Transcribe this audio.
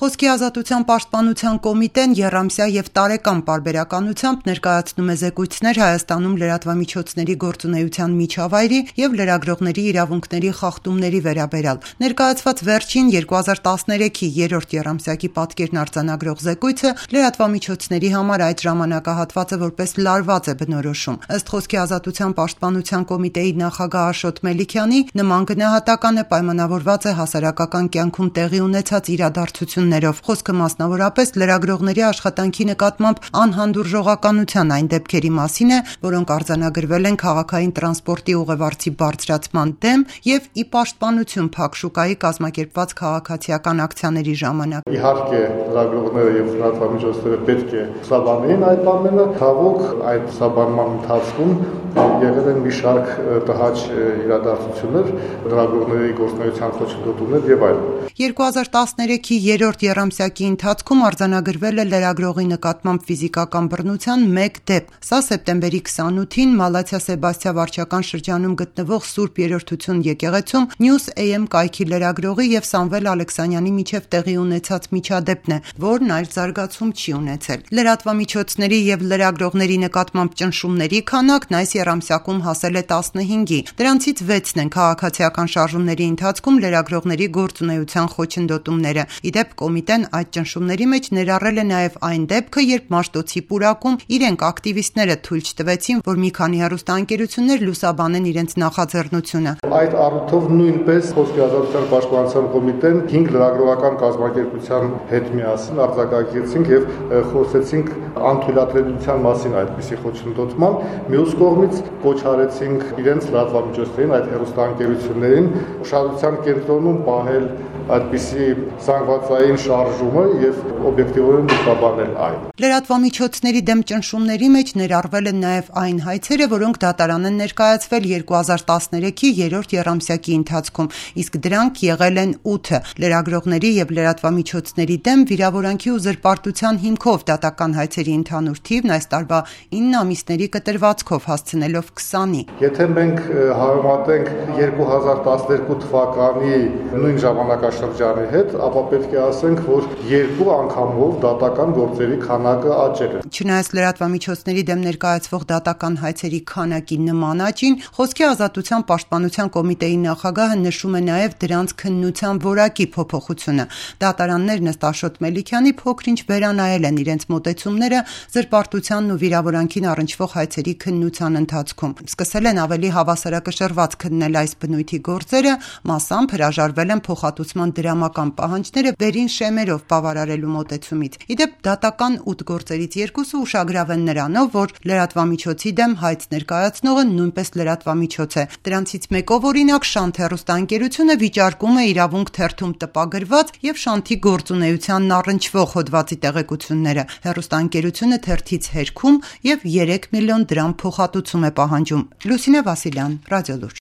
Խոսքի ազատության պաշտպանության կոմիտեն եռամսյա և տարեկան պարբերականությամբ ներկայացնում է զեկույցներ Հայաստանում լրատվամիջոցների գործունեության միջավայրի և լրագրողների իրավունքների խախտումների վերաբերյալ։ Ներկայացված վերջին 2013-ի երրորդ եռամսյակի պատկերն արձանագրող զեկույցը լրատվամիջոցների համար այդ ժամանակահատվածը որպես լարված է բնորոշում։ Ըստ Խոսքի ազատության պաշտպանության կոմիտեի նախագահ Աշոտ Մելիքյանի, նման գնահատականը պայմանավորված է հասարակական կյանքում տեղի ունեցած իրադարձություններով։ Խոսքը մասնավորապես լրագրողների աշխատանքի նկատմամբ անհանդուրժողականության այն դեպքերի մասին է, որոնք արձանագրվել են քաղաքային տրանսպորտի ուղևորձի բարձրացման դեմ և ի պաշտպանություն Փակ շուկայի կազմակերպված քաղաքացիական ակցիաների ժամանակ։ Իհարկե, լրագրողները և լրատվամիջոցները պետք է սաբանեին այդ ամենը, ցավոք այդ սաբանման ընթացքում եղել են մի շարք տհաճ իրադարձություններ, լրագրողների գործունեության խոչընդոտումներ եւ այլն։ 2013-ի երրորդ եռամսյակի ընթացքում արձանագրվել է լրագրողի նկատմամբ ֆիզիկական բռնության 1 դեպք։ Սա սեպտեմբերի 28-ին Մալաթիա Սեբաստիա վարչական շրջանում գտնվող Սուրբ Երրորդություն եկեղեցում News AM կայքի լրագրողի եւ Սամվել Ալեքսանյանի միջև տեղի ունեցած միջադեպն է, որն այլ զարգացում չի ունեցել։ Լրատվամիջոցների եւ լրագրողների նկատմամբ ճնշումների քանակն այս եռամսյակում հասել է 15-ի։ Դրանցից 6-ն են քաղաքացիական շարժումների ընթացքում լրագրողների գործունեության խոչընդոտումները։ Իդեպ կոմիտեն այդ ճնշումների մեջ ներառել է նաև այն դեպքը, երբ Մաշտոցի պուրակում իրենք ակտիվիստները թույլ չտվեցին, որ մի քանի հեռուստաընկերություններ լուսաբանեն իրենց նախաձեռնությունը։ Այդ առիթով նույնպես Խոսքի ազատության պաշտպանության կոմիտեն 5 լրագրողական կազմակերպության հետ միասին արձակագիրեցինք եւ խոսեցինք անթույլատրելիության մասին այդպիսի խոչընդոտման։ Մյուս կողմից կոչ արեցինք իրենց լրատվամիջոցներին, այդ հեռուստաընկերություններին ուշադրության կենտրոնում պահել այդպիսի զանգվածային շարժումը եւ օբյեկտիվորեն լուսաբանել այն։ Լրատվամիջոցների դեմ ճնշումների մեջ ներառվել են նաև այն հայցերը, որոնք դատարան են ներկայացվել 2013-ի երրորդ եռամսյակի ընթացքում, իսկ դրանք եղել են 8-ը։ Լրագրողների եւ լրատվամիջոցների դեմ վիրավորանքի ու զրպարտության հիմքով դատական հայցերի ընդհանուր թիվն այս տարվա 9 ամիսների կտրվածքով հասցնելով 20-ի։ Եթե մենք համեմատենք 2012 թվականի նույն ժամանակաշրջանի հետ, ապա պետք է ասենք, որ 2 անգամով դատական գործերի քանակը աճել է։ Չնայած լրատվամիջոցների դեմ ներկայացվող դատական հայցերի քանակի նման աճին, Խոսքի ազատության պաշտպանության կոմիտեի նախագահը նշում է նաև դրանց քննության որակի փոփոխությունը։ Դատարաններն ըստ Աշոտ Մելիքյանի փոքր-ինչ վերանայել են իրենց մոտեցումները զրպարտությանն ու վիրավորանքին առնչվող հայցերի քննության ընթացքում։ Սկսել են ավելի հավասարակշռված քննել այս բնույթի գործերը, մասամբ հրաժարվել են փոխհատուցման դրամական պահանջները վերին շեմերով բավարարելու մոտեցումից։ Իդեպ դատական 8 գործերից 2-ը ուշագրավ են նրանով, որ լրատվամիջոցի դեմ հայց ներկայացնողը նույնպես լրատվամիջոց է։ Դրանցից մեկով օրինակ Շանթ հեռուստաընկերությունը վիճարկում է իրավունք թերթում տպագրված եւ Շանթի գործունեությանն առնչվող հոդվածի տեղեկությունները։ Հեռուստաընկերությունը թերթից հերքում եւ 3 միլիոն դրամ փոխհատուցում է պահանջում։ Լուսինե Վասիլյան, Ռադիոլուրջ։